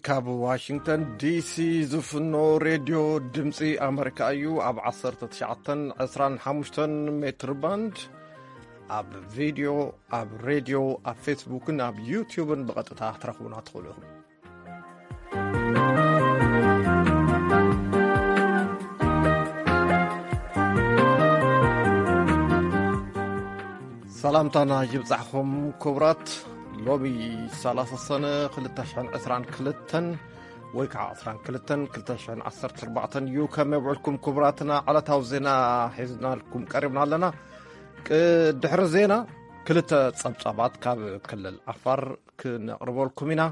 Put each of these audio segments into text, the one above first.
ካብ ዋሽንግተን ዲሲ ዝፍኖ ሬድዮ ድምፂ ኣመሪካ እዩ። ኣብ ዓሰርተ ትሽዓተን ዕስራን ሓሙሽተን ሜትር ባንድ ኣብ ቪድዮ፣ ኣብ ሬድዮ፣ ኣብ ፌስቡክን ኣብ ዩቲዩብን ብቐጥታ ክትረኽቡና ትኽእሉ ኢኹም። ሰላምታና ይብጻሕኹም ክቡራት። ሎሚ ሰላሳ ሰነ ክልተ ሽሕን ዕስራን ክልተን ወይ ከዓ ዕስራን ክልተን ክልተ ሽሕን ዓሰርተ ኣርባዕተን እዩ። ከመይ ውዒልኩም ክቡራትና? ዕለታዊ ዜና ሒዝናልኩም ቀሪብና ኣለና። ቅ-፣ ድሕሪ ዜና ክልተ ጸብጻባት ካብ ክልል ዓፋር ክነቕርበልኩም ኢና።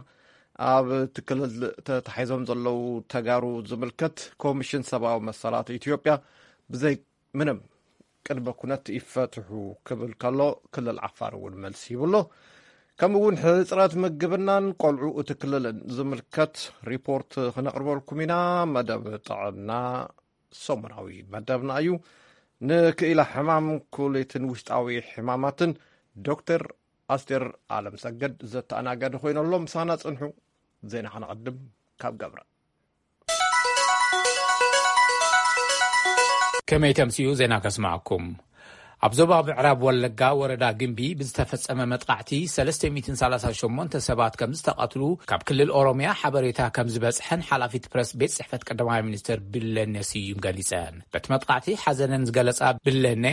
ኣብ እቲ ክልል ተታሒዞም ዘለዉ ተጋሩ ዝምልከት ኮሚሽን ሰብኣዊ መሰላት ኢትዮጵያ ብዘይ ምንም ቅድመ ኩነት ይፈትሑ ክብል ከሎ፣ ክልል ዓፋር እውን መልሲ ይብሎ። ከምኡ እውን ሕጽረት ምግብናን ቆልዑ እቲ ክልልን ዝምልከት ሪፖርት ክነቕርበልኩም ኢና። መደብ ጥዕና ሰሙናዊ መደብና እዩ። ንክኢላ ሕማም ኩሊትን ውሽጣዊ ሕማማትን ዶክተር ኣስቴር ኣለም ሰገድ ዘተኣናገደ ኮይነሎ። ምሳና ጽንሑ። ዜና ከነቐድም ካብ ገብረ። ከመይ ተምስዩ ዜና ከስማዕኩም። ኣብ ዞባ ምዕራብ ወለጋ ወረዳ ግምቢ ብዝተፈጸመ መጥቃዕቲ ሰለስተ ሚእትን ሰላሳ ሸሞንተ ሰባት ከም ዝተቐትሉ ካብ ክልል ኦሮምያ ሓበሬታ ከም ዝበጽሐን ሓላፊት ፕረስ ቤት ጽሕፈት ቀዳማይ ሚኒስትር ብለኔ ስዩም ገሊጸን። በቲ መጥቃዕቲ ሓዘነን ዝገለጻ ብለኔ፣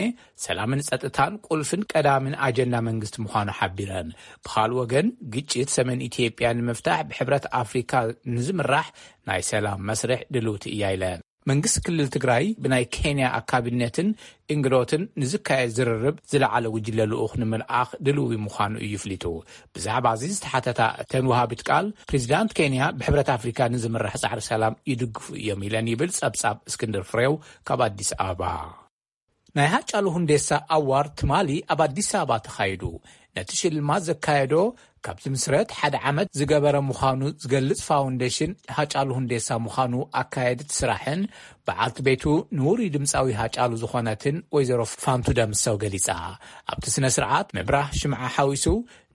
ሰላምን ጸጥታን ቁልፍን ቀዳምን ኣጀንዳ መንግስቲ ምዃኑ ሓቢረን። ብኻልእ ወገን፣ ግጭት ሰሜን ኢትዮጵያ ንምፍታሕ ብሕብረት ኣፍሪካ ንዝምራሕ ናይ ሰላም መስርሕ ድልውቲ እያ ኢለን። መንግስቲ ክልል ትግራይ ብናይ ኬንያ ኣካቢነትን እንግዶትን ንዝካየድ ዝርርብ ዝለዓለ ጉጅለ ልኡኽ ንምልኣኽ ድልዊ ምዃኑ እዩ ፍሊጡ። ብዛዕባ እዚ ዝተሓተታ እተን ወሃቢት ቃል፣ ፕሬዚዳንት ኬንያ ብሕብረት ኣፍሪካ ንዝምራሕ ጻዕሪ ሰላም ይድግፉ እዮም ኢለን ይብል ጸብጻብ እስክንድር ፍሬው ካብ ኣዲስ ኣበባ። ናይ ሃጫሉ ሁንዴሳ ኣዋርድ ትማሊ ኣብ ኣዲስ ኣበባ ተኻይዱ። ነቲ ሽልማት ዘካየዶ ካብ ዝምስረት ሓደ ዓመት ዝገበረ ምዃኑ ዝገልጽ ፋውንዴሽን ሃጫሉ ሁንዴሳ ምዃኑ ኣካየድቲ ስራሕን በዓልቲ ቤቱ ንውሩይ ድምፃዊ ሃጫሉ ዝኾነትን ወይዘሮ ፋንቱ ደምሰው ገሊጻ። ኣብቲ ስነ ስርዓት ምብራህ ሽምዓ ሓዊሱ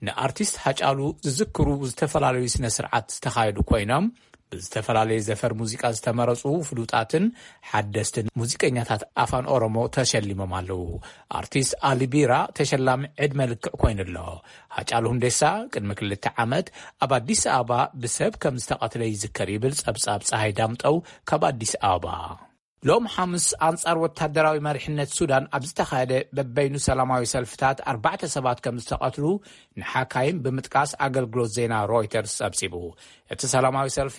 ንኣርቲስት ሃጫሉ ዝዝክሩ ዝተፈላለዩ ስነ ስርዓት ዝተኻየዱ ኮይኖም፣ ብዝተፈላለየ ዘፈር ሙዚቃ ዝተመረጹ ፍሉጣትን ሓደስትን ሙዚቀኛታት ኣፋን ኦሮሞ ተሸሊሞም ኣለዉ። ኣርቲስት ኣሊ ቢራ ተሸላሚ ዕድመ ልክዕ ኮይኑ ኣሎ። ሃጫሉ ሁንዴሳ ቅድሚ ክልተ ዓመት ኣብ ኣዲስ ኣበባ ብሰብ ከም ዝተቐትለ ይዝከር ይብል ጸብጻብ ጸሃይ ዳምጠው ካብ ኣዲስ ኣበባ። ሎም ሓሙስ ኣንጻር ወታደራዊ መሪሕነት ሱዳን ኣብ ዝተኻየደ በበይኑ ሰላማዊ ሰልፍታት ኣርባዕተ ሰባት ከም ዝተቐትሉ ንሓካይም ብምጥቃስ ኣገልግሎት ዜና ሮይተርስ ጸብጺቡ። እቲ ሰላማዊ ሰልፊ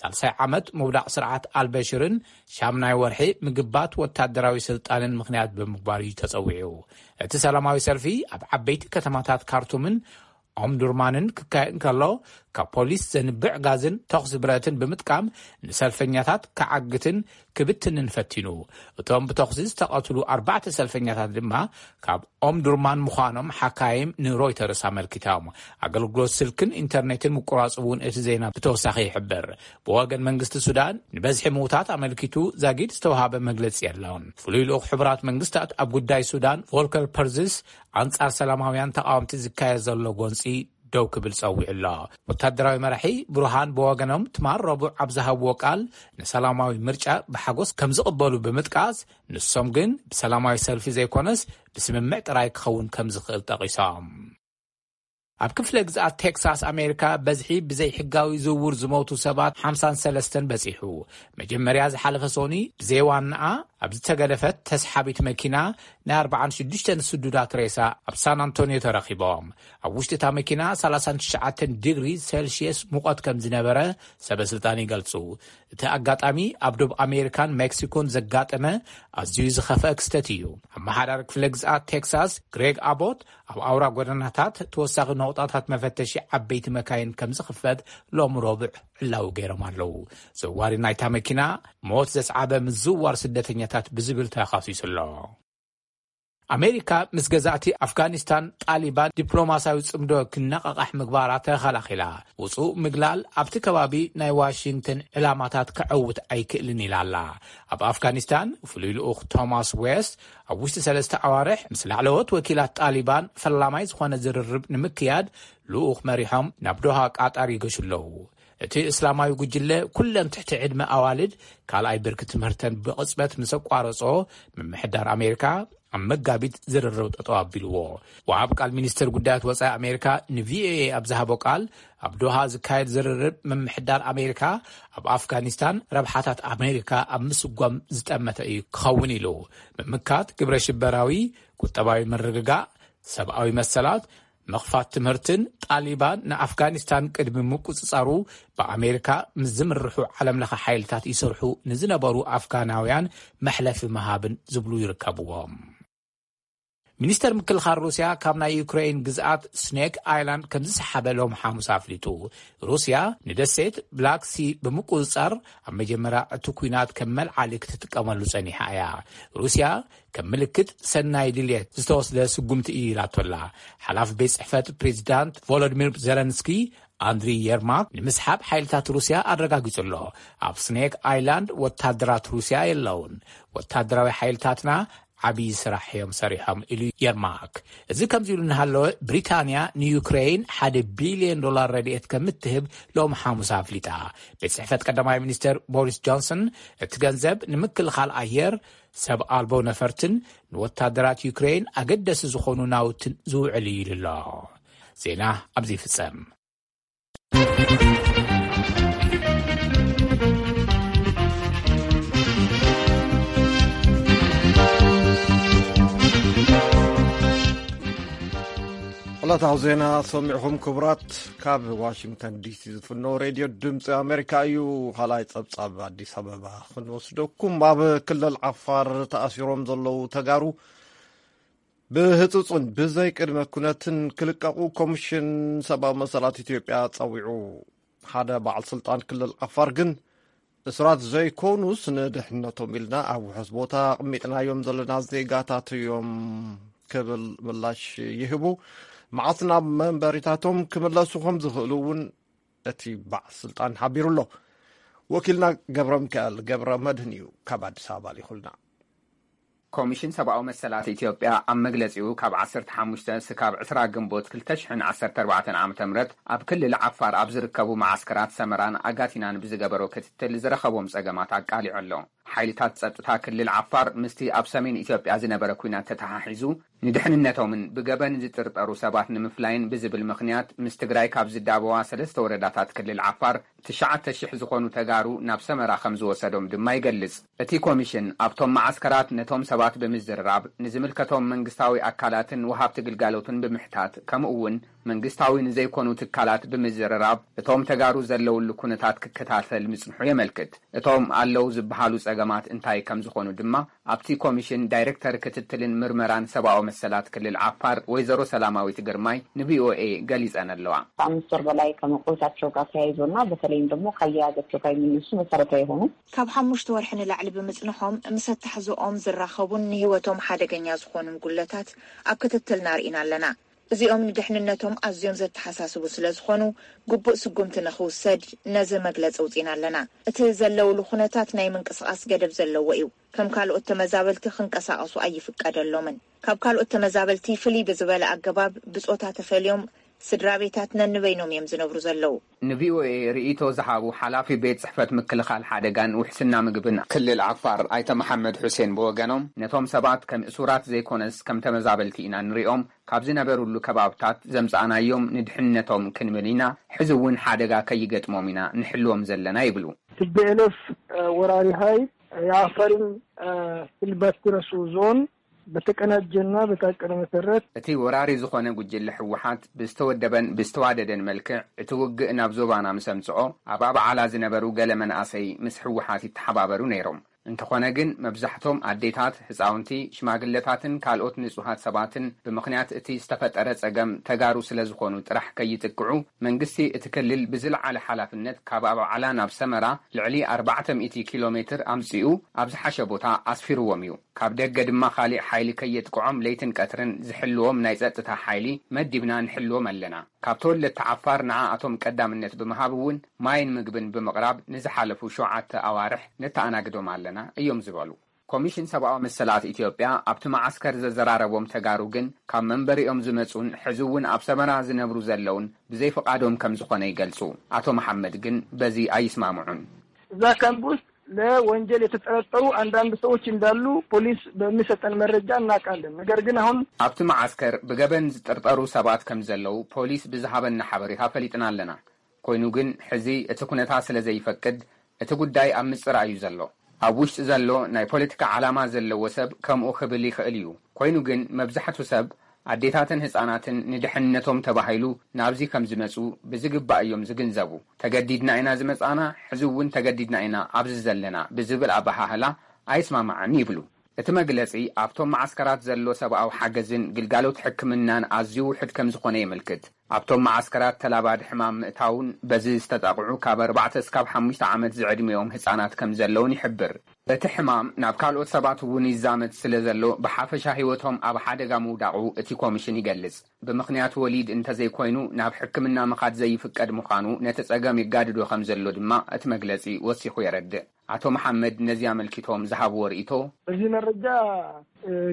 ሳልሳይ ዓመት ምውዳቕ ስርዓት ኣልበሽርን ሻምናይ ወርሒ ምግባት ወታደራዊ ስልጣንን ምኽንያት ብምግባር እዩ ተጸዊዑ። እቲ ሰላማዊ ሰልፊ ኣብ ዓበይቲ ከተማታት ካርቱምን ኦምዱርማንን ክካየድ እንከሎ፣ ካብ ፖሊስ ዘንብዕ ጋዝን ተኹሲ ብረትን ብምጥቃም ንሰልፈኛታት ክዓግትን ክብትንን ፈቲኑ። እቶም ብተኹሲ ዝተቐትሉ ኣርባዕተ ሰልፈኛታት ድማ ካብ ኦምዱርማን ምዃኖም ሓካይም ንሮይተርስ ኣመልኪቶም። ኣገልግሎት ስልክን ኢንተርኔትን ምቁራጹ እውን እቲ ዜና ብተወሳኺ ይሕብር። ብወገን መንግስቲ ሱዳን ንበዝሒ ምውታት ኣመልኪቱ ዛጊድ ዝተውሃበ መግለጺ የለን። ፍሉይ ልኡኽ ሕቡራት መንግስታት ኣብ ጉዳይ ሱዳን ቮልከር ፐርዝስ ኣንጻር ሰላማውያን ተቃወምቲ ዝካየድ ዘሎ ጎንጺ ደው ክብል ጸዊዑ ኣሎ። ወታደራዊ መራሒ ብሩሃን ብወገኖም ትማል ረቡዕ ኣብ ዝሃብዎ ቃል ንሰላማዊ ምርጫ ብሓጎስ ከም ዝቕበሉ ብምጥቃስ፣ ንሶም ግን ብሰላማዊ ሰልፊ ዘይኮነስ ብስምምዕ ጥራይ ክኸውን ከም ዝኽእል ጠቒሶም። ኣብ ክፍለ ግዝኣት ቴክሳስ ኣሜሪካ በዝሒ ብዘይሕጋዊ ዝውውር ዝሞቱ ሰባት ሓምሳን ሰለስተን በጺሑ። መጀመርያ ዝሓለፈ ሶኒ ብዘይ ዋናኣ ኣብ ዝተገደፈት ተስሓቢት መኪና ናይ ኣርባዓን ሽዱሽተን ስዱዳት ሬሳ ኣብ ሳን ኣንቶኒዮ ተረኺቦም። ኣብ ውሽጢ እታ መኪና ሰላሳን ትሽዓተን ዲግሪ ሴልሽየስ ሙቐት ከም ዝነበረ ሰበ ስልጣን ይገልጹ። እቲ ኣጋጣሚ ኣብ ዶብ ኣሜሪካን ሜክሲኮን ዘጋጠመ ኣዝዩ ዝኸፍአ ክስተት እዩ። ኣመሓዳሪ ክፍለ ግዝኣት ቴክሳስ ግሬግ ኣቦት ኣብ ኣውራ ጎደናታት ተወሳኺ ነቑጣታት መፈተሺ ዓበይቲ መካይን ከም ዝኽፈት ሎም ረቡዕ ዕላዊ ገይሮም ኣለዉ። ዘዋሪ ናይታ መኪና ሞት ዘስዓበ ምዝውዋር ስደተኛታት ብዝብል ተኻሲሱ ኣሎ። ኣሜሪካ ምስ ገዛእቲ ኣፍጋኒስታን ጣሊባን ዲፕሎማስያዊ ጽምዶ ክነቓቓሕ ምግባራ ተኸላኺላ። ውጹእ ምግላል ኣብቲ ከባቢ ናይ ዋሽንግተን ዕላማታት ከዐውት ኣይክእልን ኢላ ኣላ። ኣብ ኣፍጋኒስታን ፍሉይ ልኡኽ ቶማስ ዌስት ኣብ ውሽጢ ሰለስተ ኣዋርሕ ምስ ላዕለዎት ወኪላት ጣሊባን ፈላማይ ዝኾነ ዝርርብ ንምክያድ ልኡኽ መሪሖም ናብ ዶሃ ቃጣር ይገሹ ኣለዉ። እቲ እስላማዊ ጉጅለ ኩለን ትሕቲ ዕድመ ኣዋልድ ካልኣይ ብርኪ ትምህርተን ብቕጽበት ምስ ኣቋረጾ፣ ምምሕዳር ኣሜሪካ ኣብ መጋቢት ዝርርብ ጠጠው ኣቢልዎ። ወሃብ ቃል ሚኒስትር ጉዳያት ወጻኢ ኣሜሪካ ንቪኦኤ ኣብ ዝሃቦ ቃል፣ ኣብ ዶሃ ዝካየድ ዝርርብ ምምሕዳር ኣሜሪካ ኣብ ኣፍጋኒስታን ረብሓታት ኣሜሪካ ኣብ ምስጓም ዝጠመተ እዩ ክኸውን ኢሉ። ምምካት ግብረ ሽበራዊ፣ ቁጠባዊ ምርግጋእ፣ ሰብኣዊ መሰላት፣ ምኽፋት ትምህርትን ጣሊባን ንኣፍጋኒስታን ቅድሚ ምቁጽጻሩ ብኣሜሪካ ምስ ዝምርሑ ዓለምለኸ ሓይልታት ይሰርሑ ንዝነበሩ ኣፍጋናውያን መሕለፊ ምሃብን ዝብሉ ይርከብዎም። ሚኒስተር ምክልኻል ሩስያ ካብ ናይ ዩክሬን ግዝኣት ስኔክ ኣይላንድ ከም ዝሰሓበ ሎም ሓሙስ ኣፍሊጡ። ሩስያ ንደሴት ብላክ ሲ ብምቁጽጻር ኣብ መጀመርያ እቲ ኲናት ከም መልዓሊ ክትጥቀመሉ ጸኒሓ እያ። ሩስያ ከም ምልክት ሰናይ ድልየት ዝተወስደ ስጉምቲ እዩ ኢላቶላ። ሓላፊ ቤት ጽሕፈት ፕሬዚዳንት ቮሎዲሚር ዜለንስኪ ኣንድሪ የርማክ ንምስሓብ ሓይልታት ሩስያ ኣረጋጊጹ ኣሎ። ኣብ ስኔክ ኣይላንድ ወታደራት ሩስያ የለውን። ወታደራዊ ሓይልታትና ዓብዪ ስራሕ እዮም ሰሪሖም ኢሉ የርማክ። እዚ ከምዚ ኢሉ እናሃለወ፣ ብሪታንያ ንዩክሬን ሓደ ቢልዮን ዶላር ረድኤት ከም እትህብ ሎም ሓሙስ ኣፍሊጣ። ቤት ጽሕፈት ቀዳማይ ሚኒስትር ቦሪስ ጆንሰን፣ እቲ ገንዘብ ንምክልኻል ኣየር፣ ሰብ ኣልቦ ነፈርትን ንወታደራት ዩክሬን ኣገደሲ ዝኾኑ ናውትን ዝውዕል እዩ ኢሉ ኣሎ። ዜና ኣብዚ ይፍጸም። ዕለታዊ ዜና ሰሚዕኹም ክቡራት። ካብ ዋሽንግተን ዲሲ ዝፍኖ ሬድዮ ድምፂ ኣሜሪካ እዩ። ካልኣይ ፀብፃብ ኣዲስ ኣበባ ክንወስደኩም። ኣብ ክልል ዓፋር ተኣሲሮም ዘለዉ ተጋሩ ብህፁፅን ብዘይ ቅድመ ኩነትን ክልቀቑ ኮሚሽን ሰብኣዊ መሰላት ኢትዮጵያ ፀዊዑ። ሓደ በዓል ስልጣን ክልል ዓፋር ግን፣ እሱራት ዘይኮኑስ ንድሕነቶም ኢልና ኣብ ውሑስ ቦታ ኣቕሚጥናዮም ዘለና ዜጋታት እዮም ክብል ምላሽ ይህቡ። መዓስ ናብ መንበሪታቶም ክምለሱ ከም ዝኽእሉ እውን እቲ በዓል ስልጣን ሓቢሩ ኣሎ። ወኪልና ገብረ ሚካኤል ገብረ መድህን እዩ ካብ ኣዲስ ኣበባ ልኢኹልና። ኮሚሽን ሰብኣዊ መሰላት ኢትዮጵያ ኣብ መግለጺኡ፣ ካብ ዓሰርተ ሓሙሽተ ስካብ ዕስራ ግንቦት ክልተ ሽሕን ዓሰርተ ኣርባዕተን ዓመተ ምህረት ኣብ ክልል ዓፋር ኣብ ዝርከቡ መዓስከራት ሰመራን ኣጋቲናን ብዝገበሮ ክትትል ዝረኸቦም ጸገማት ኣቃሊዑ ኣሎ። ሓይልታት ጸጥታ ክልል ዓፋር ምስቲ ኣብ ሰሜን ኢትዮጵያ ዝነበረ ኲናት ተተሓሒዙ ንድሕንነቶምን ብገበን ዝጥርጠሩ ሰባት ንምፍላይን ብዝብል ምኽንያት፣ ምስ ትግራይ ካብ ዝዳበዋ ሰለስተ ወረዳታት ክልል ዓፋር ትሽዓተ ሽሕ ዝኾኑ ተጋሩ ናብ ሰመራ ከም ዝወሰዶም ድማ ይገልጽ። እቲ ኮሚሽን ኣብቶም መዓስከራት ነቶም ሰባት ብምዝርራብ፣ ንዝምልከቶም መንግስታዊ ኣካላትን ወሃብቲ ግልጋሎትን ብምሕታት፣ ከምኡ እውን መንግስታዊ ንዘይኮኑ ትካላት ብምዝርራብ፣ እቶም ተጋሩ ዘለውሉ ኩነታት ክከታተል ምጽንሑ የመልክት። እቶም ኣለዉ ዝበሃሉ ጸገማት እንታይ ከም ዝኾኑ ድማ ኣብቲ ኮሚሽን ዳይሬክተር ክትትልን ምርመራን ሰብኣዊ መሰላት ክልል ዓፋር ወይዘሮ ሰላማዊት ግርማይ ንቪኦኤ ገሊጸን ኣለዋ። ከአምስት ወር በላይ ከመቆየታቸው ጋር ተያይዞና በተለይም ደግሞ ከአያያዛቸው ጋር የሚነሱ መሰረታዊ የሆኑ ካብ ሓሙሽተ ወርሒ ንላዕሊ ብምጽንሖም ምስ ኣተሓዝኦም ዝራኸቡን ንህይወቶም ሓደገኛ ዝኾኑን ጉለታት ኣብ ክትትልና ርኢና ኣለና። እዚኦም ንድሕንነቶም ኣዝዮም ዘተሓሳስቡ ስለ ዝኾኑ፣ ግቡእ ስጉምቲ ንኽውሰድ ነዚ መግለጺ ኣውጺእና ኣለና። እቲ ዘለውሉ ኩነታት ናይ ምንቅስቓስ ገደብ ዘለዎ እዩ። ከም ካልኦት ተመዛበልቲ ክንቀሳቐሱ ኣይፍቀደሎምን። ካብ ካልኦት ተመዛበልቲ ፍልይ ብዝበለ ኣገባብ ብጾታ ተፈልዮም ስድራ ቤታት ነንበይኖም እዮም ዝነብሩ ዘለዉ። ንቪኦኤ ርእይቶ ዝሃቡ ሓላፊ ቤት ጽሕፈት ምክልኻል ሓደጋን ውሕስና ምግብን ክልል ዓፋር ኣይተ መሓመድ ሑሴን ብወገኖም፣ ነቶም ሰባት ከም እሱራት ዘይኮነስ ከም ተመዛበልቲ ኢና ንሪኦም፣ ካብ ዝነበሩሉ ከባብታት ዘምጻእናዮም ንድሕንነቶም ክንብል ኢና፣ ሕዚ እውን ሓደጋ ከይገጥሞም ኢና ንሕልዎም ዘለና ይብሉ። ቲ ቢ ኤል ኤፍ ወራሪ ኃይል የአፋርን ፍልባትኪረሱ ዞን በተቀናጀና በታቀደ መሰረት እቲ ወራሪ ዝኾነ ጉጅለ ህወሓት ብዝተወደበን ብዝተዋደደን መልክዕ እቲ ውግእ ናብ ዞባና ምስ ኣምጽኦ፣ ኣብ ኣባዓላ ዝነበሩ ገለ መናእሰይ ምስ ህወሓት ይተሓባበሩ ነይሮም። እንተኾነ ግን መብዛሕቶም ኣዴታት፣ ህፃውንቲ፣ ሽማግለታትን ካልኦት ንጹሃት ሰባትን ብምኽንያት እቲ ዝተፈጠረ ጸገም ተጋሩ ስለ ዝኾኑ ጥራሕ ከይጥቅዑ መንግስቲ እቲ ክልል ብዝለዓለ ሓላፍነት ካብ ኣባዓላ ናብ ሰመራ ልዕሊ ኣርባዕተ ሚእቲ ኪሎ ሜትር ኣምጺኡ ኣብ ዝሓሸ ቦታ ኣስፊርዎም እዩ። ካብ ደገ ድማ ካሊእ ሓይሊ ከየጥቅዖም ለይትን ቀትርን ዝሕልዎም ናይ ጸጥታ ሓይሊ መዲብና ንሕልዎም ኣለና። ካብ ተወለድቲ ዓፋር ንዓኣቶም ቀዳምነት ብምሃብ እውን ማይን ምግብን ብምቕራብ ንዝሓለፉ ሸውዓተ ኣዋርሕ ነተኣናግዶም ኣለና እዮም ዝበሉ። ኮሚሽን ሰብኣዊ መሰላት ኢትዮጵያ ኣብቲ መዓስከር ዘዘራረቦም ተጋሩ ግን ካብ መንበሪኦም ዝመጹን ሕዚ እውን ኣብ ሰመራ ዝነብሩ ዘለውን ብዘይፍቓዶም ከም ዝኾነ ይገልጹ። ኣቶ መሓመድ ግን በዚ ኣይስማምዑን። እዛ ካምፕ ውስጥ ለወንጀል የተጠረጠሩ አንዳንድ ሰዎች እንዳሉ ፖሊስ በሚሰጠን መረጃ እናውቃለን። ነገር ግን አሁን ኣብቲ መዓስከር ብገበን ዝጥርጠሩ ሰባት ከም ዘለዉ ፖሊስ ብዝሃበና ሓበሬታ ፈሊጥና ኣለና። ኮይኑ ግን ሕዚ እቲ ኩነታት ስለ ዘይፈቅድ እቲ ጉዳይ ኣብ ምጽራይ እዩ ዘሎ። ኣብ ውሽጢ ዘሎ ናይ ፖለቲካ ዓላማ ዘለዎ ሰብ ከምኡ ክብል ይኽእል እዩ። ኮይኑ ግን መብዛሕቱ ሰብ ኣዴታትን ህጻናትን ንድሕንነቶም ተባሂሉ ናብዚ ከም ዝመጹ ብዝግባእ እዮም ዝግንዘቡ። ተገዲድና ኢና ዝመጻና፣ ሕዚ እውን ተገዲድና ኢና ኣብዚ ዘለና ብዝብል ኣበሃህላ ኣይስማማዕን ይብሉ። እቲ መግለጺ ኣብቶም መዓስከራት ዘሎ ሰብኣዊ ሓገዝን ግልጋሎት ሕክምናን ኣዝዩ ውሑድ ከም ዝኾነ የመልክት። ኣብቶም መዓስከራት ተላባዲ ሕማም ምእታውን በዚ ዝተጠቕዑ ካብ ኣርባዕተ እስካብ ሓሙሽተ ዓመት ዝዕድሚኦም ህጻናት ከም ዘለውን ይሕብር። እቲ ሕማም ናብ ካልኦት ሰባት እውን ይዛመት ስለ ዘሎ ብሓፈሻ ህይወቶም ኣብ ሓደጋ ምውዳቑ እቲ ኮሚሽን ይገልጽ። ብምኽንያት ወሊድ እንተዘይኮይኑ ናብ ሕክምና ምኻድ ዘይፍቀድ ምዃኑ ነቲ ጸገም ይጋድዶ ከም ዘሎ ድማ እቲ መግለጺ ወሲኹ የረድእ። ኣቶ መሓመድ ነዚ ኣመልኪቶም ዝሃብዎ ርእይቶ በዚህ መረጃ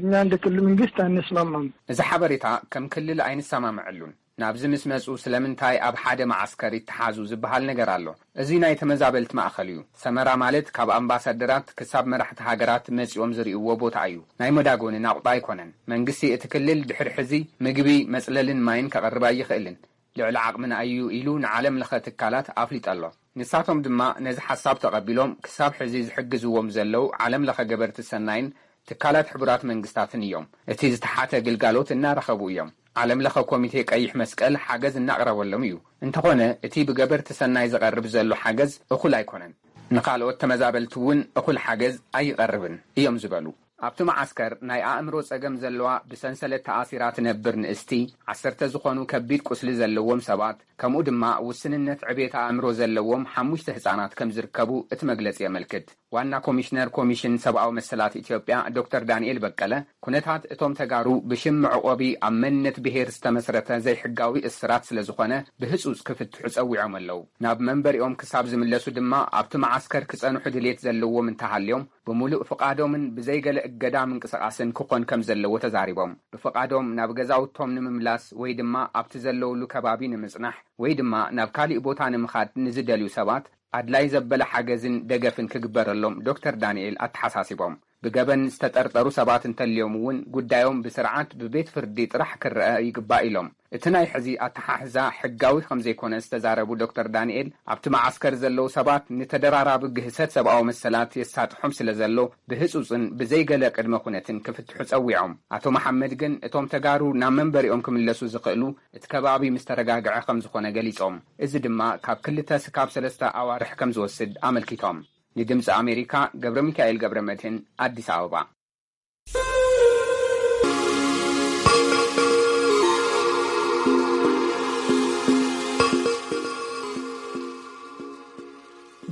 እኛ እንደ ክልል መንግስት አንስማማም። እዚ ሓበሬታ ከም ክልል ኣይንሰማምዐሉን። ናብዚ ምስ መጹ ስለምንታይ ኣብ ሓደ መዓስከር ይተሓዙ ዝበሃል ነገር ኣሎ። እዚ ናይ ተመዛበልቲ ማእኸል እዩ። ሰመራ ማለት ካብ ኣምባሳደራት ክሳብ መራሕቲ ሃገራት መጺኦም ዝርእይዎ ቦታ እዩ። ናይ መዳጎኒ ናቑጣ ኣይኮነን። መንግስቲ እቲ ክልል ድሕሪ ሕዚ ምግቢ፣ መጽለልን ማይን ከቕርብ ኣይኽእልን። ልዕሊ ዓቕምና እዩ ኢሉ ንዓለም ለኸ ትካላት ኣፍሊጡ ኣሎ። ንሳቶም ድማ ነዚ ሓሳብ ተቐቢሎም ክሳብ ሕዚ ዝሕግዝዎም ዘለዉ ዓለም ለኸ ገበርቲ ሰናይን ትካላት ሕቡራት መንግስታትን እዮም። እቲ ዝተሓተ ግልጋሎት እናረኸቡ እዮም። ዓለም ለኸ ኮሚቴ ቀይሕ መስቀል ሓገዝ እናቕረበሎም እዩ። እንተኾነ እቲ ብገበርቲ ሰናይ ዝቐርብ ዘሎ ሓገዝ እኹል ኣይኮነን። ንኻልኦት ተመዛበልቲ እውን እኹል ሓገዝ ኣይቐርብን እዮም ዝበሉ። ኣብቲ መዓስከር ናይ ኣእምሮ ጸገም ዘለዋ ብሰንሰለት ተኣሲራ ትነብር ንእስቲ፣ ዓሰርተ ዝኾኑ ከቢድ ቁስሊ ዘለዎም ሰባት፣ ከምኡ ድማ ውስንነት ዕቤት ኣእምሮ ዘለዎም ሓሙሽተ ህጻናት ከም ዝርከቡ እቲ መግለጺ የመልክት። ዋና ኮሚሽነር ኮሚሽን ሰብኣዊ መሰላት ኢትዮጵያ ዶክተር ዳንኤል በቀለ፣ ኩነታት እቶም ተጋሩ ብሽም መዕቆቢ ኣብ መንነት ብሄር ዝተመስረተ ዘይሕጋዊ እስራት ስለ ዝኾነ ብህጹጽ ክፍትሑ ጸዊዖም ኣለዉ። ናብ መንበሪኦም ክሳብ ዝምለሱ ድማ ኣብቲ መዓስከር ክጸንሑ ድሌት ዘለዎም እንተሃልዮም ብምሉእ ፍቓዶምን ብዘይገለ እገዳ ምንቅስቓስን ክኾን ከም ዘለዎ ተዛሪቦም። ብፍቓዶም ናብ ገዛውቶም ንምምላስ ወይ ድማ ኣብቲ ዘለውሉ ከባቢ ንምጽናሕ ወይ ድማ ናብ ካሊእ ቦታ ንምኻድ ንዝደልዩ ሰባት ኣድላይ ዘበለ ሓገዝን ደገፍን ክግበረሎም ዶክተር ዳንኤል ኣተሓሳሲቦም። ብገበን ዝተጠርጠሩ ሰባት እንተልዮም እውን ጉዳዮም ብስርዓት ብቤት ፍርዲ ጥራሕ ክረአ ይግባእ ኢሎም። እቲ ናይ ሕዚ ኣተሓሕዛ ሕጋዊ ከም ዘይኮነ ዝተዛረቡ ዶክተር ዳንኤል፣ ኣብቲ መዓስከር ዘለዉ ሰባት ንተደራራቢ ግህሰት ሰብኣዊ መሰላት የሳጥሖም ስለ ዘሎ ብህጹጽን ብዘይገለ ቅድመ ኩነትን ክፍትሑ ጸዊዖም። ኣቶ መሓመድ ግን እቶም ተጋሩ ናብ መንበሪኦም ክምለሱ ዝኽእሉ እቲ ከባቢ ምስ ተረጋግዐ ከም ዝኾነ ገሊጾም። እዚ ድማ ካብ ክልተ ስካብ ሰለስተ ኣዋርሕ ከም ዝወስድ ኣመልኪቶም። ንድምፂ ኣሜሪካ ገብረ ሚካኤል ገብረ መድህን ኣዲስ ኣበባ።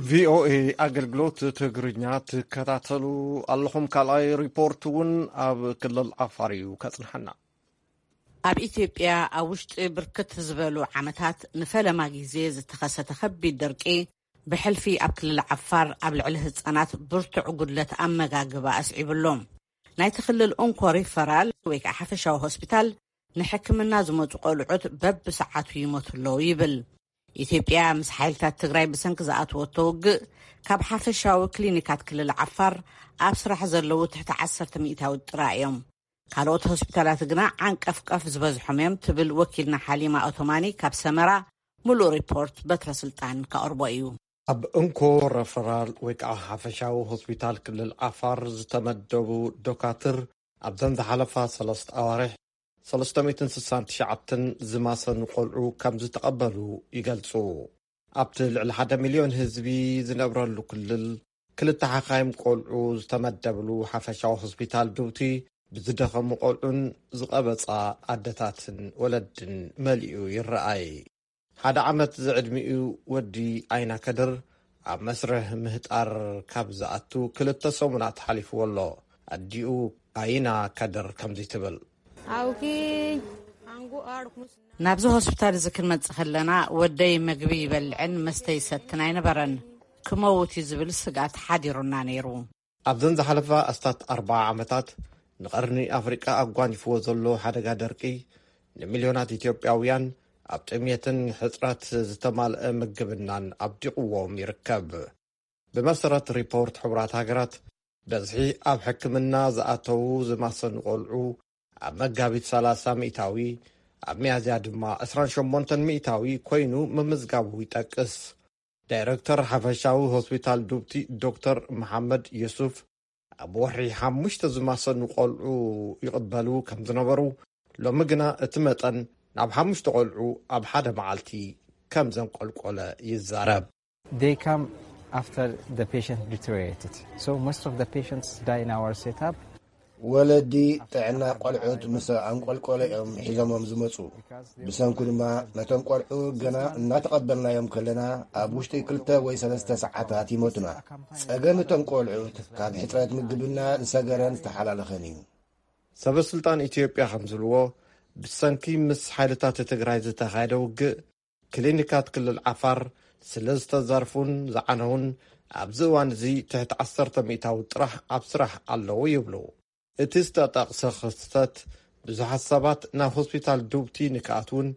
ቪኦኤ ኣገልግሎት ትግርኛ ትከታተሉ ኣለኹም። ካልኣይ ሪፖርት እውን ኣብ ክልል ዓፋር እዩ ከጽንሓና። ኣብ ኢትዮጵያ ኣብ ውሽጢ ብርክት ዝበሉ ዓመታት ንፈለማ ግዜ ዝተኸሰተ ከቢድ ደርቂ ብሕልፊ ኣብ ክልል ዓፋር ኣብ ልዕሊ ህጻናት ብርቱዕ ጉድለት ኣመጋግባ ኣስዒቡ ኣሎ። ናይቲ ክልል እንኮ ሪፈራል ወይ ከዓ ሓፈሻዊ ሆስፒታል ንሕክምና ዝመጹ ቆልዑት በብሰዓቱ ይሞቱ ኣለዉ ይብል። ኢትዮጵያ ምስ ሓይልታት ትግራይ ብሰንኪ ዝኣተወቶ ውግእ ካብ ሓፈሻዊ ክሊኒካት ክልል ዓፋር ኣብ ስራሕ ዘለዉ ትሕቲ ዓሰርተ ሚእታዊ ጥራይ እዮም። ካልኦት ሆስፒታላት ግና ዓንቀፍቀፍ ዝበዝሖም እዮም ትብል ወኪልና ሓሊማ ኦቶማኒ ካብ ሰመራ። ምሉእ ሪፖርት በትረ ስልጣን ከቕርቦ እዩ። ኣብ እንኮ ረፈራል ወይ ከዓ ሓፈሻዊ ሆስፒታል ክልል ዓፋር ዝተመደቡ ዶካትር ኣብዘን ዝሓለፋ ሰለስተ ኣዋርሕ ሰለስተ ሚእትን ስሳን ትሽዓተን ዝማሰኑ ቆልዑ ከም ዝተቐበሉ ይገልጹ። ኣብቲ ልዕሊ ሓደ ሚልዮን ህዝቢ ዝነብረሉ ክልል ክልተ ሓኻይም ቆልዑ ዝተመደብሉ ሓፈሻዊ ሆስፒታል ዱብቲ ብዝደኸሙ ቆልዑን ዝቐበጻ ኣደታትን ወለድን መሊኡ ይረኣይ። ሓደ ዓመት ዝዕድሚኡ ወዲ ኣይና ከድር ኣብ መስርሕ ምህጣር ካብ ዝኣቱ ክልተ ሰሙናት ሓሊፍዎ ኣሎ። ኣዲኡ ኣይና ከድር ከምዚ ትብል። ኣውኪ ሓንጉ ኣርኩስ ናብዚ ሆስፒታል እዚ ክንመጽእ ከለና ወደይ መግቢ ይበልዕን መስተ ይሰትን ኣይነበረን። ክመውት እዩ ዝብል ስግኣት ሓዲሩና ነይሩ። ኣብዘን ዝሓለፋ ኣስታት ኣርባዓ ዓመታት ንቐርኒ ኣፍሪቃ ኣጓኒፍዎ ዘሎ ሓደጋ ደርቂ፣ ንሚልዮናት ኢትዮጵያውያን ኣብ ጥሜትን ሕጽረት ዝተማልአ ምግብናን ኣብዲቑዎም ይርከብ። ብመሰረት ሪፖርት ሕቡራት ሃገራት፣ በዝሒ ኣብ ሕክምና ዝኣተዉ ዝማሰኑ ቆልዑ ኣብ መጋቢት ሰላሳ ሚእታዊ፣ ኣብ ሚያዝያ ድማ ዕስራን ሸሞንተን ሚእታዊ ኮይኑ ምምዝጋቡ ይጠቅስ። ዳይረክተር ሓፈሻዊ ሆስፒታል ዱብቲ ዶክተር መሓመድ ዩሱፍ፣ ኣብ ወርሒ ሓሙሽተ ዝማሰኑ ቆልዑ ይቕበሉ ከም ዝነበሩ፣ ሎሚ ግና እቲ መጠን ናብ ሓሙሽተ ቆልዑ ኣብ ሓደ መዓልቲ ከም ዘንቆልቆለ ይዛረብ። They come after the patient deteriorated. So most of the patients die in our setup. ወለዲ ጥዕና ቆልዑት ምስ ኣንቆልቆለ እዮም ሒዞሞም ዝመፁ። ብሰንኩ ድማ ነቶም ቆልዑ ገና እናተቐበልናዮም ከለና ኣብ ውሽጢ ክልተ ወይ ሰለስተ ሰዓታት ይሞቱና። ጸገም እቶም ቆልዑት ካብ ሕፅረት ምግብና ዝሰገረን ዝተሓላለኸን እዩ። ሰበ ስልጣን ኢትዮጵያ ከም ዝብልዎ፣ ብሰንኪ ምስ ሓይልታት ትግራይ ዝተኻየደ ውግእ፣ ክሊኒካት ክልል ዓፋር ስለ ዝተዘርፉን ዝዓነውን፣ ኣብዚ እዋን እዚ ትሕቲ ዓሰርተ ሚእታዊ ጥራሕ ኣብ ስራሕ ኣለዉ ይብሉ። እቲ ዝተጠቕሰ ክስተት፣ ብዙሓት ሰባት ናብ ሆስፒታል ዱብቲ ንክኣትውን፣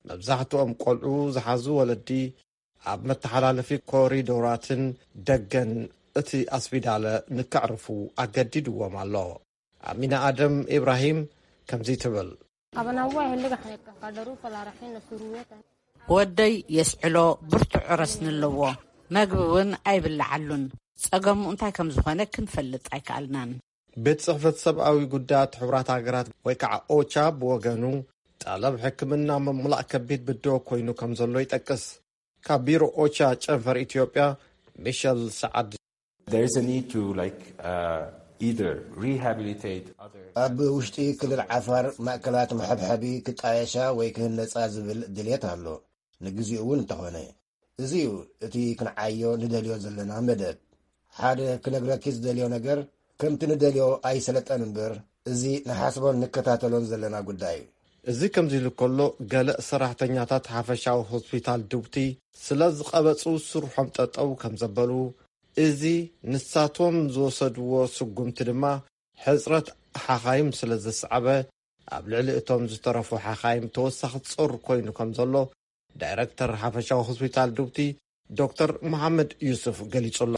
መብዛሕትኦም ቆልዑ ዝሓዙ ወለዲ ኣብ መተሓላለፊ ኮሪዶራትን ደገን እቲ ኣስፒዳለ ንከዕርፉ ኣገዲድዎም ኣሎ። ኣሚና ኣደም ኢብራሂም ከምዚ ትብል። Abana waa xilliga xaneedka ka dharu falaaraxina suruwetan. ወደይ የስዕሎ ብርቱዕ ረስኒ ኣለዎ። መግቢ እውን ኣይብልዓሉን። ጸገሙ እንታይ ከም ዝኾነ ክንፈልጥ ኣይከኣልናን። ቤት ጽሕፈት ሰብኣዊ ጉዳያት ሕቡራት ሃገራት ወይ ከዓ ኦቻ ብወገኑ፣ ጠለብ ሕክምና ምምላእ ከቢድ ብድሆ ኮይኑ ከም ዘሎ ይጠቅስ። ካብ ቢሮ ኦቻ ጨንፈር ኢትዮጵያ ሚሸል ሰዓድ። There is a need to like uh, either rehabilitate other ኣብ ውሽጢ ክልል ዓፋር ማእከላት መሐብሐቢ ክጣየሻ ወይ ክህነጻ ዝብል ድልየት ኣሎ። ንግዚኡ እውን እንተኾነ እዚ እዩ እቲ ክንዓዮ ንደልዮ ዘለና መደብ። ሓደ ክነግረኪ ዝደልዮ ነገር፣ ከምቲ ንደልዮ ኣይሰለጠን እምበር፣ እዚ ንሓስቦን ንከታተሎን ዘለና ጉዳይ እዩ። እዚ ከምዚ ኢሉ ከሎ፣ ገለ ሰራሕተኛታት ሓፈሻዊ ሆስፒታል ዱብቲ ስለ ዝቐበጹ ስርሖም ጠጠው ከም ዘበሉ፣ እዚ ንሳቶም ዝወሰድዎ ስጉምቲ ድማ ሕጽረት ሓኻይም ስለ ዘስዓበ፣ ኣብ ልዕሊ እቶም ዝተረፉ ሓኻይም ተወሳኺ ጾር ኮይኑ ከም ዘሎ ዳይረክተር ሓፈሻዊ ሆስፒታል ዱብቲ ዶክተር መሓመድ ዩሱፍ ገሊጹ ኣሎ።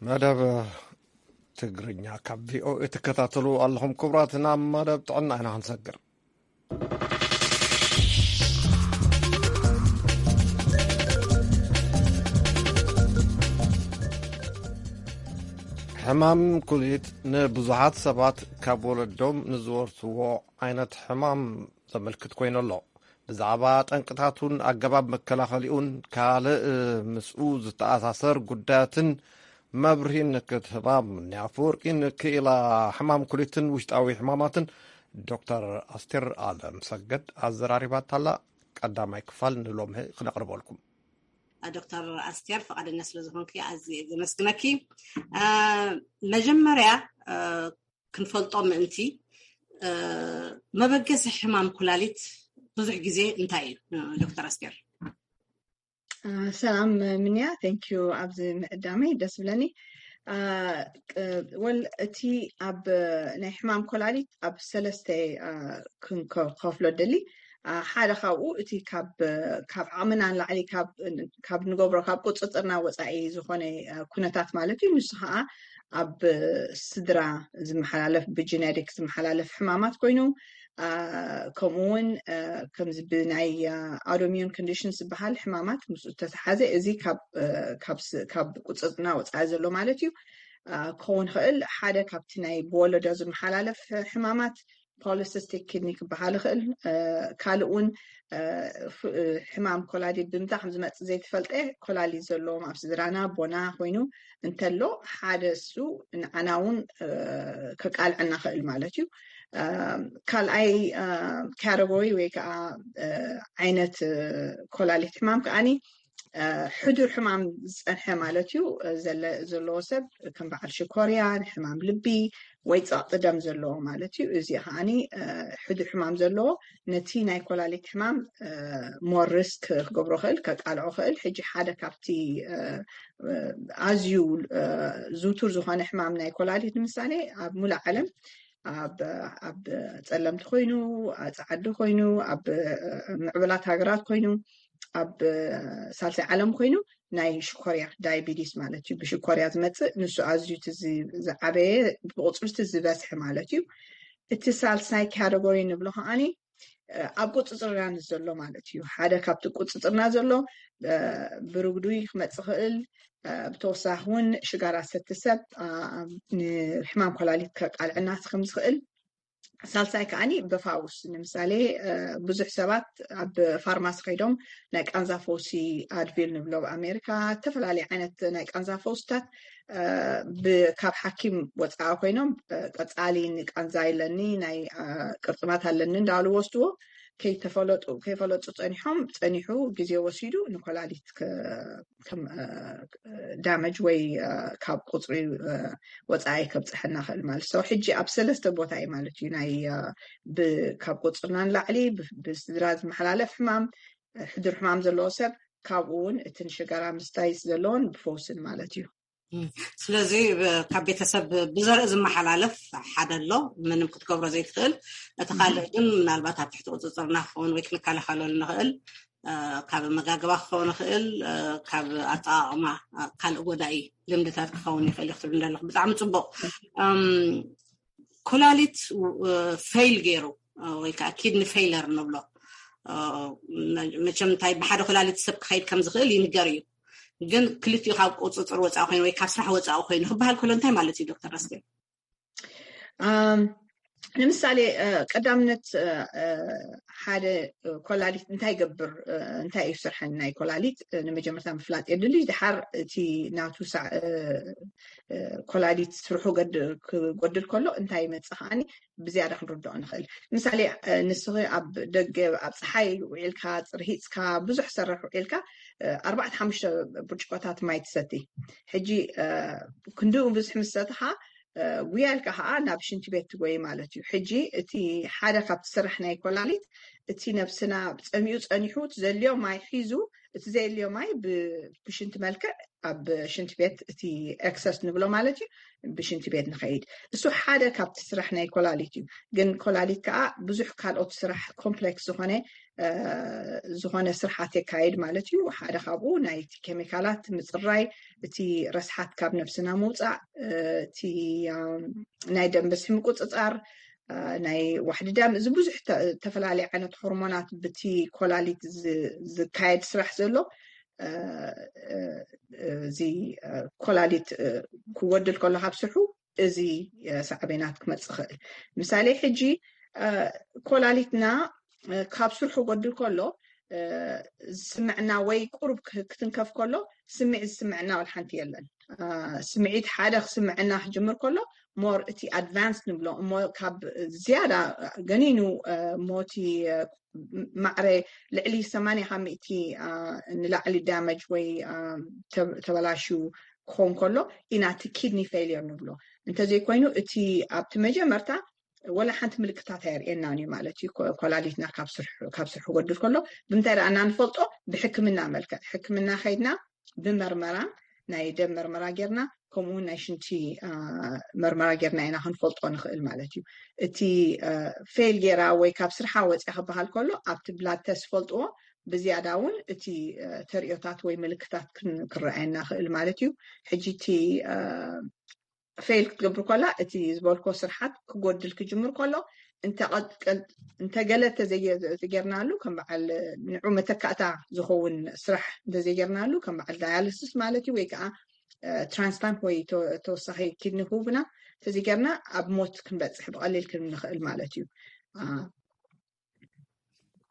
መደብ ትግርኛ ካብ ቪኦኤ ትከታተሉ ኣለኹም ክቡራት። ናብ መደብ ጥዕና ኢና ክንሰግር። ሕማም ኩሊት ንብዙሓት ሰባት ካብ ወለዶም ንዝወርስዎ ዓይነት ሕማም ዘመልክት ኮይኑ ኣሎ። ብዛዕባ ጠንቅታቱን ኣገባብ መከላኸሊኡን ካልእ ምስኡ ዝተኣሳሰር ጉዳያትን መብርሂን ክትህባ፣ ምኒ ኣፈወርቂ ንክኢላ ሕማም ኩሊትን ውሽጣዊ ሕማማትን ዶክተር ኣስቴር ኣለም ሰገድ ኣዘራሪባታላ። ቀዳማይ ክፋል ንሎምሀ ክነቕርበልኩም። ዶክተር ኣስቴር፣ ፈቓደኛ ስለ ዝኾንኪ ኣዝየ ዘመስግነኪ። መጀመርያ ክንፈልጦ ምእንቲ፣ መበገሲ ሕማም ኩላሊት ብዙሕ ግዜ እንታይ እዩ? ዶክተር ኣስቴር። ሰላም ምንያ፣ thank you ኣብዚ ምዕዳመይ ደስ ብለኒ። ወል እቲ ኣብ ናይ ሕማም ኮላሊት ኣብ ሰለስተ ክንከፍሎ ደሊ። ሓደ ካብኡ እቲ ካብ ዓቕምና ንላዕሊ ካብ ንገብሮ ካብ ቁፅፅርና ወፃኢ ዝኾነ ኩነታት ማለት እዩ። ንሱ ከዓ ኣብ ስድራ ዝመሓላለፍ ብጂነቲክ ዝመሓላለፍ ሕማማት ኮይኑ፣ ከምኡ እውን ከምዚ ብናይ ኣውቶሚዩን ኮንዲሽን ዝበሃል ሕማማት ምስ ዝተተሓዘ እዚ ካብ ቁፅፅርና ወፃኢ ዘሎ ማለት እዩ። ክኸውን ይኽእል ሓደ ካብቲ ናይ ብወለዶ ዝመሓላለፍ ሕማማት ፖሊሲስቲክ ኪድኒ ክበሃል ይኽእል። ካልእ እውን ሕማም ኮላሊት ብምንታይ ከም ዝመፅእ ዘይተፈልጠ ኮላሊት ዘለዎም ኣብ ስድራና ኣቦና ኮይኑ እንተሎ ሓደ እሱ ንዓና እውን ከቃልዐና ክእል ማለት እዩ። ካልኣይ ካተጎሪ ወይ ከዓ ዓይነት ኮላሊት ሕማም ከዓኒ ሕዱር ሕማም ዝፀንሐ ማለት እዩ። ዘለዎ ሰብ ከም በዓል ሽኮርያ፣ ሕማም ልቢ ወይ ፀቕጢ ደም ዘለዎ ማለት እዩ። እዚ ከዓኒ ሕዱር ሕማም ዘለዎ ነቲ ናይ ኮላሊት ሕማም ሞር ሪስክ ክገብሮ ክእል፣ ከቃልዖ ክእል። ሕጂ ሓደ ካብቲ ኣዝዩ ዝውቱር ዝኾነ ሕማም ናይ ኮላሊት ንምሳሌ ኣብ ሙሉእ ዓለም ኣብ ጸለምቲ ኮይኑ፣ ኣብ ጸዓዲ ኮይኑ፣ ኣብ ምዕብላት ሃገራት ኮይኑ፣ ኣብ ሳልሳይ ዓለም ኮይኑ ናይ ሽኮርያ፣ ዳይቢቲስ ማለት እዩ። ብሽኮርያ ዝመጽእ ንሱ ኣዝዩ እቲ ዝዓበየ፣ ብቁጽሪ እቲ ዝበዝሐ ማለት እዩ። እቲ ሳልሳይ ካተጎሪ ንብሎ ከዓኒ ኣብ ቁፅፅርና ዘሎ ማለት እዩ። ሓደ ካብቲ ቁፅፅርና ዘሎ ብርጉድ ክመፅእ ክእል። ብተወሳኺ እውን ሽጋራ ዝሰቲ ሰብ ንሕማም ኮላሊት ከቃልዐና ከም ዝኽእል። ሳልሳይ ከዓኒ ብፋውስ ንምሳሌ ብዙሕ ሰባት ኣብ ፋርማሲ ከይዶም ናይ ቃንዛ ፈውሲ ኣድቪል ንብሎ ኣብ ኣሜሪካ፣ ዝተፈላለዩ ዓይነት ናይ ቃንዛ ፈውስታት ካብ ሓኪም ወፃኢ ኮይኖም ቀፃሊ ንቃንዛ ኣለኒ ናይ ቅርጥማት ኣለኒ እንዳሉ ወስድዎ ከይተፈለጡ ከይፈለጡ ፀኒሖም ፀኒሑ ግዜ ወሲዱ ንኮላሊት ዳመጅ ወይ ካብ ቁፅሪ ወፃኢ ከብፅሐና ክእል ማለት ሰው ሕጂ ኣብ ሰለስተ ቦታ እዩ ማለት እዩ ናይ ካብ ቁፅርና ንላዕሊ ብስድራ ዝመሓላለፍ ሕማም ሕዱር ሕማም ዘለዎ ሰብ ካብኡ እውን እቲ ንሽጋራ ምስታይ ዘለዎን ብፈውስን ማለት እዩ። ስለዚ ካብ ቤተሰብ ብዘርኢ ዝመሓላለፍ ሓደ ኣሎ ምንም ክትገብሮ ዘይትኽእል። እቲ ካልእ ግን ምናልባት ኣብ ትሕቲ ቁፅፅርና ክኸውን ወይ ክንከላኸለሉ ንኽእል ካብ መጋግባ ክኸውን ይኽእል፣ ካብ ኣጠቃቕማ ካልእ ጎዳኢ ልምድታት ክኸውን ይኽእል እዩ ክትብል እንዳለኹ ብጣዕሚ ፅቡቅ። ኮላሊት ፌይል ገይሩ ወይ ከዓ ኪድኒ ፌይለር ንብሎ መቸም እንታይ ብሓደ ኮላሊት ሰብ ክኸይድ ከም ዝኽእል ይንገር እዩ። ግን ክልቲኡ ካብ ቁፅፅር ወፃኢ ኮይኑ ወይ ካብ ስራሕ ወፃኢ ኮይኑ ክበሃል ከሎ እንታይ ማለት እዩ ዶክተር ኣስቴር? ንምሳሌ ቀዳምነት ሓደ ኮላሊት እንታይ ይገብር፣ እንታይ እዩ ስርሐን ናይ ኮላሊት ንመጀመርታ ምፍላጥ የድሊ። ድሓር እቲ ናቱ ኮላሊት ስርሑ ክጎድል ከሎ እንታይ ይመፅእ ከዓኒ ብዝያዳ ክንርድኦ ንኽእል። ምሳሌ ንስኺ ኣብ ደገ ኣብ ፀሓይ ውዒልካ ፅርሂፅካ ብዙሕ ሰራሕ ውዒልካ ኣርባዕተ ሓሙሽተ ብርጭቆታት ማይ ትሰቲ። ሕጂ ክንድኡ ብዙሕ ምስ ሰትኻ ጉያ ኢልካ ከዓ ናብ ሽንቲ ቤት ትጎይ ማለት እዩ። ሕጂ እቲ ሓደ ካብቲ ስራሕ ናይ ኮላሊት እቲ ነብስና ፀሚኡ ፀኒሑ እቲ ዘልዮ ማይ ሒዙ እቲ ዘየልዮ ማይ ብሽንቲ መልክዕ ኣብ ሽንቲ ቤት እቲ ኤክሰስ ንብሎ ማለት እዩ ብሽንቲ ቤት ንኸይድ። እሱ ሓደ ካብቲ ስራሕ ናይ ኮላሊት እዩ። ግን ኮላሊት ከዓ ብዙሕ ካልኦት ስራሕ ኮምፕሌክስ ዝኾነ ዝኾነ ስርሓት የካየድ ማለት እዩ። ሓደ ካብኡ ናይቲ ኬሚካላት ምፅራይ፣ እቲ ረስሓት ካብ ነብስና ምውፃእ፣ እቲ ናይ ደም ብዝሒ ምቁፅፃር፣ ናይ ዋሕዲ ደም፣ እዚ ብዙሕ ዝተፈላለዩ ዓይነት ሆርሞናት ብቲ ኮላሊት ዝካየድ ስራሕ ዘሎ እዚ ኮላሊት ክጎድል ከሎ ካብ ስርሑ እዚ ሳዕቤናት ክመፅእ ይኽእል። ምሳሌ ሕጂ ኮላሊትና ካብ ስርሑ ክጎድል ከሎ ዝስምዕና ወይ ቁሩብ ክትንከፍ ከሎ ስምዒት ዝስምዕና ወላ ሓንቲ የለን። ስምዒት ሓደ ክስምዕና ክጅምር ከሎ ሞር እቲ ኣድቫንስ ንብሎ እሞ ካብ ዝያዳ ገኒኑ ሞቲ ማዕረ ልዕሊ ሰማንያ ካብ ሚእቲ ንላዕሊ ዳመጅ ወይ ተበላሽዩ ክኸውን ከሎ ኢና እቲ ኪድኒ ፌልየር ንብሎ። እንተዘይኮይኑ እቲ ኣብቲ መጀመርታ ወላ ሓንቲ ምልክታት ኣየርእየናን እዩ ማለት እዩ። ኮላሊትና ካብ ስርሑ ጎድል ከሎ ብምንታይ ደኣ እና ንፈልጦ? ብሕክምና መልክዕ ሕክምና ከይድና ብመርመራ ናይ ደም መርመራ ጌርና ከምኡውን ናይ ሽንቲ መርመራ ጌርና ኢና ክንፈልጦ ንኽእል ማለት እዩ። እቲ ፌል ጌራ ወይ ካብ ስርሓ ወፅያ ክበሃል ከሎ ኣብቲ ብላድ ተስት ፈልጥዎ ብዝያዳ እውን እቲ ተርእዮታት ወይ ምልክታት ክረኣየና ክእል ማለት እዩ። ሕጂ እቲ ፌል ክትገብር ከላ እቲ ዝበልኮ ስርሓት ክጎድል ክጅምር ከሎ እንተገለ ተዘጌርናሉ ከም በዓል ንዑ መተካእታ ዝኸውን ስራሕ እንተዘይጌርናሉ ከም በዓል ዳያልስስ ማለት እዩ ወይ ከዓ ትራንስፕላንት ወይ ተወሳኺ ኪድኒ ክህቡና እንተዘይጌርና ኣብ ሞት ክንበፅሕ ብቐሊል ክንንኽእል ማለት እዩ።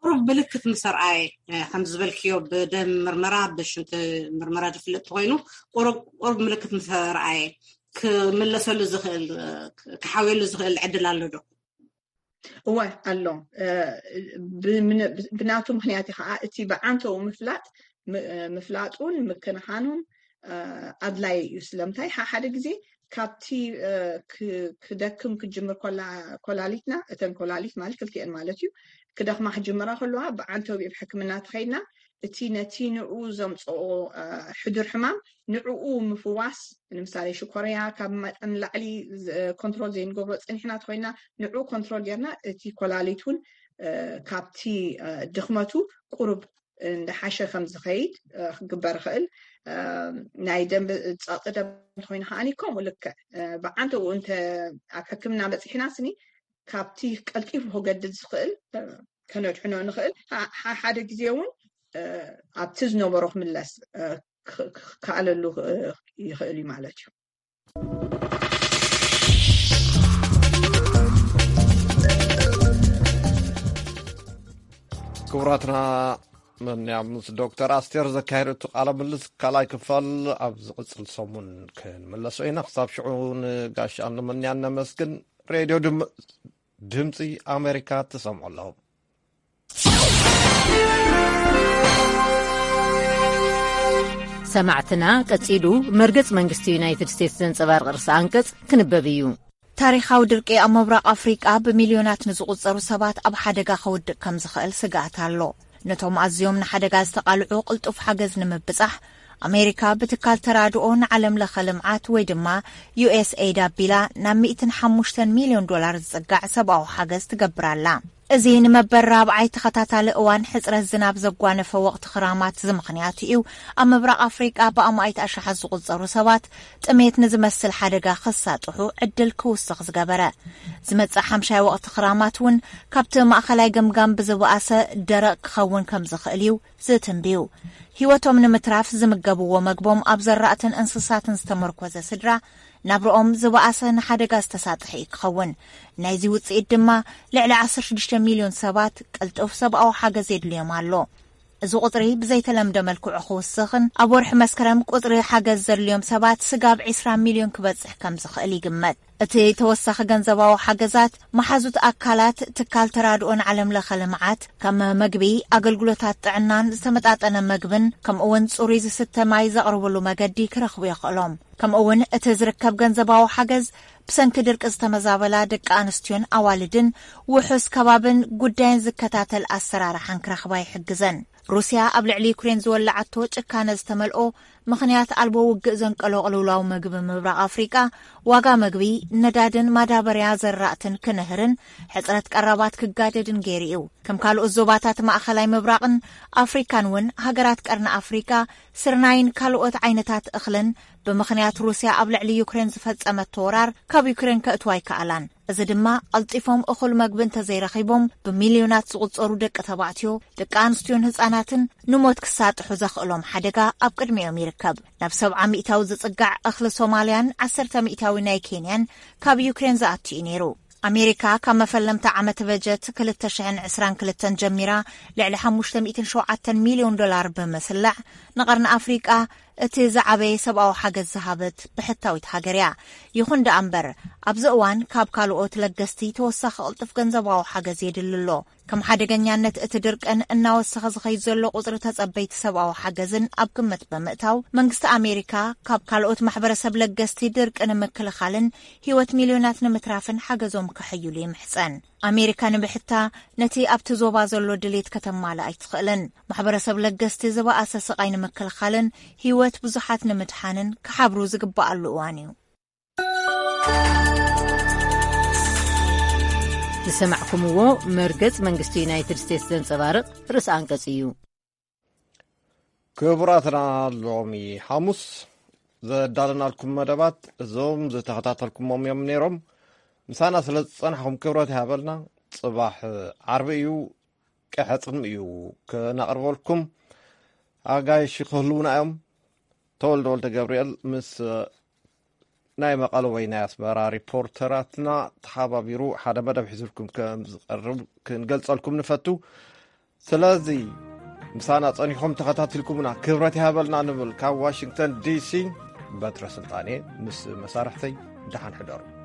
ቁሩብ ምልክት ምስ ኣርኣየ ከም ዝበልክዮ ብደም ምርመራ ብሽንቲ ምርመራ ዝፍለጥ ተኮይኑ ቁሩብ ምልክት ምስ ኣርኣየ ክምለሰሉ ዝኽእል ክሓውየሉ ዝኽእል ዕድል ኣሎ ዶ? እወ ኣሎ። ብናቱ ምክንያት ከዓ እቲ ብዓንተው ምፍላጥ ምፍላጡን ምክንኻኑን ኣድላይ እዩ። ስለምንታይ? ሓደ ግዜ ካብቲ ክደክም ክጅምር ኮላሊትና፣ እተን ኮላሊት ማለት ክልቲአን ማለት እዩ፣ ክደክማ ክጅምራ ከለዋ፣ ብዓንተቢብ ሕክምና ተኸይድና እቲ ነቲ ንኡ ዘምፅኦ ሕዱር ሕማም ንዕኡ ምፍዋስ፣ ንምሳሌ ሽኮርያ ካብ መጠን ላዕሊ ኮንትሮል ዘይንገብሮ ፀኒሕና ተኮይና፣ ንዕኡ ኮንትሮል ጌርና እቲ ኮላሊት እውን ካብቲ ድክመቱ ቁሩብ እንዳሓሸ ከም ዝኸይድ ክግበር ይኽእል። ናይ ደም ፀቕጢ ደም እንተኮይኑ ከዓኒ ከምኡ ልክዕ ብዓንተኡ እንተ ኣብ ሕክምና በፂሕና ስኒ ካብቲ ቀልጢፉ ክገድድ ዝኽእል ከነድሕኖ ንኽእል። ሓደ ግዜ እውን ኣብቲ ዝነበሮ ክምለስ ክከኣለሉ ይኽእል እዩ ማለት እዩ። ክቡራትና፣ መን ምስ ዶክተር ኣስቴር ዘካየደቱ ቃለ ምልልስ ካልኣይ ክፋል ኣብ ዝቕጽል ሰሙን ክንምለሶ ኢና። ክሳብ ሽዑ ንጋሽ ኣንመንያን ነመስግን። ሬድዮ ድምፂ ኣሜሪካ ትሰምዑ ኣለኹም። ሰማዕትና፣ ቀጺሉ መርገጽ መንግስቲ ዩናይትድ ስቴትስ ዘንጸባርቕ ርእሲ ኣንቀጽ ክንበብ እዩ። ታሪኻዊ ድርቂ ኣብ ምብራቕ ኣፍሪቃ ብሚልዮናት ንዝቑጸሩ ሰባት ኣብ ሓደጋ ከውድቕ ከም ዝኽእል ስግኣት ኣሎ። ነቶም ኣዝዮም ንሓደጋ ዝተቓልዑ ቅልጡፍ ሓገዝ ንምብጻሕ፣ ኣሜሪካ ብትካል ተራድኦ ንዓለም ለኸ ልምዓት ወይ ድማ ዩ ኤስ ኤይድ ኣቢላ ናብ ሚእትን ሓሙሽተን ሚልዮን ዶላር ዝጽጋዕ ሰብኣዊ ሓገዝ ትገብር ኣላ። እዚ ንመበል ራብዓይ ተኸታታሊ እዋን ሕጽረት ዝናብ ዘጓነፈ ወቕቲ ክራማት ዝምኽንያት እዩ። ኣብ ምብራቕ ኣፍሪቃ ብኣማኢት ኣሽሓት ዝቑጸሩ ሰባት ጥሜት ንዝመስል ሓደጋ ክሳጥሑ ዕድል ክውስኽ ዝገበረ። ዝመጽእ ሓምሻይ ወቕቲ ክራማት እውን ካብቲ ማእኸላይ ገምጋም ብዝበኣሰ ደረቕ ክኸውን ከም ዝኽእል እዩ ዝትንብዩ። ህይወቶም ንምትራፍ ዝምገብዎ መግቦም ኣብ ዘራእትን እንስሳትን ዝተመርኮዘ ስድራ ናብርኦም ዝበኣሰ ንሓደጋ ዝተሳጥሐ እዩ ክኸውን። ናይዚ ውጽኢት ድማ ልዕሊ ዓሰርተ ሽዱሽተ ሚልዮን ሰባት ቅልጡፍ ሰብኣዊ ሓገዝ የድልዮም ኣሎ። እዚ ቁጽሪ ብዘይተለምደ መልክዑ ክውስኽን ኣብ ወርሒ መስከረም ቁጽሪ ሓገዝ ዘድልዮም ሰባት ስጋብ ዕስራ ሚልዮን ክበጽሕ ከም ዝኽእል ይግመት። እቲ ተወሳኺ ገንዘባዊ ሓገዛት መሓዙት ኣካላት ትካል ተራድኦን ዓለም ለኸ ልምዓት ከም መግቢ፣ ኣገልግሎታት ጥዕናን ዝተመጣጠነ መግብን ከምኡውን ጽሩይ ዝስተ ማይ ዘቕርብሉ መገዲ ክረኽቡ የኽእሎም። ከምኡውን እቲ ዝርከብ ገንዘባዊ ሓገዝ ብሰንኪ ድርቂ ዝተመዛበላ ደቂ ኣንስትዮን ኣዋልድን ውሑስ ከባብን ጉዳይን ዝከታተል ኣሰራርሓን ክረኽባ ይሕግዘን። ሩስያ ኣብ ልዕሊ ዩክሬን ዝወላዓቶ ጭካነ ዝተመልኦ ምኽንያት ኣልቦ ውግእ ዘንቀሎ ቅልውላው ምግቢ ምብራቕ ኣፍሪቃ ዋጋ ምግቢ፣ ነዳድን ማዳበርያ ዘራእትን ክንህርን ሕጽረት ቀረባት ክጋደድን ገይሩ እዩ። ከም ካልኦት ዞባታት ማእኸላይ ምብራቕን ኣፍሪካን እውን ሃገራት ቀርኒ ኣፍሪካ ስርናይን ካልኦት ዓይነታት እኽልን ብምኽንያት ሩስያ ኣብ ልዕሊ ዩክሬን ዝፈጸመቶ ወራር ካብ ዩክሬን ከእትዋ ኣይከኣላን። እዚ ድማ ቀልጢፎም እኹል መግቢ እንተዘይረኺቦም ብሚልዮናት ዝቑጸሩ ደቂ ተባዕትዮ፣ ደቂ ኣንስትዮን ህጻናትን ንሞት ክሳጥሑ ዘኽእሎም ሓደጋ ኣብ ቅድሚኦም ይርከብ። ናብ ሰብዓ ሚእታዊ ዝጽጋዕ እኽሊ ሶማልያን ዓሰርተ ሚእታዊ ናይ ኬንያን ካብ ዩክሬን ዝኣቱ እዩ ነይሩ። ኣሜሪካ ካብ መፈለምታ ዓመት በጀት ክልተ ሽሕን ዕስራን ክልተን ጀሚራ ልዕሊ ሓሙሽተ ሚእትን ሸውዓተን ሚልዮን ዶላር ብምስላዕ ንቐርኒ ኣፍሪቃ እቲ ዝዓበየ ሰብኣዊ ሓገዝ ዝሃበት ብሕታዊት ሃገር እያ። ይኹን ደኣ እምበር ኣብዚ እዋን ካብ ካልኦት ለገስቲ ተወሳኺ ቅልጡፍ ገንዘባዊ ሓገዝ የድሊ ኣሎ። ከም ሓደገኛነት እቲ ድርቅን እናወሰኸ ዝኸይድ ዘሎ ቁጽሪ ተጸበይቲ ሰብኣዊ ሓገዝን ኣብ ግምት ብምእታው መንግስቲ ኣሜሪካ ካብ ካልኦት ማሕበረሰብ ለገስቲ ድርቂ ንምክልኻልን ህይወት ሚልዮናት ንምትራፍን ሓገዞም ከሐይሉ ይምሕጸን። ኣሜሪካ ንብሕታ ነቲ ኣብቲ ዞባ ዘሎ ድሌት ከተማልእ ኣይትኽእልን። ማሕበረሰብ ለገስቲ ዝበኣሰ ስቓይ ንምክልኻልን ህይወት ብዙሓት ንምድሓንን ክሓብሩ ዝግበኣሉ እዋን እዩ። ዝሰማዕኩምዎ መርገጽ መንግስቲ ዩናይትድ ስቴትስ ዘንጸባርቕ ርእሲ ኣንቀጽ እዩ። ክቡራትና፣ ሎሚ ሓሙስ ዘዳለናልኩም መደባት እዞም ዝተኸታተልኩሞም እዮም ነይሮም። ምሳና ስለ ዝጸናሕኩም ክብረት ይሃበልና። ጽባሕ ዓርቢ እዩ፣ ቀሐጽም እዩ ክነቕርበልኩም። ኣጋይሽ ክህልውና እዮም። ተወልደ ወልደ ገብርኤል ምስ ናይ መቐለ ወይ ናይ ኣስመራ ሪፖርተራትና ተሓባቢሩ ሓደ መደብ ሒዙልኩም ከም ዝቐርብ ክንገልጸልኩም ንፈቱ። ስለዚ ምሳና ጸኒኹም ተኸታቲልኩምና ክብረት ይሃበልና ንብል። ካብ ዋሽንግተን ዲሲ በትረ ስልጣኔ ምስ መሳርሕተይ ደሓን ሕደሩ።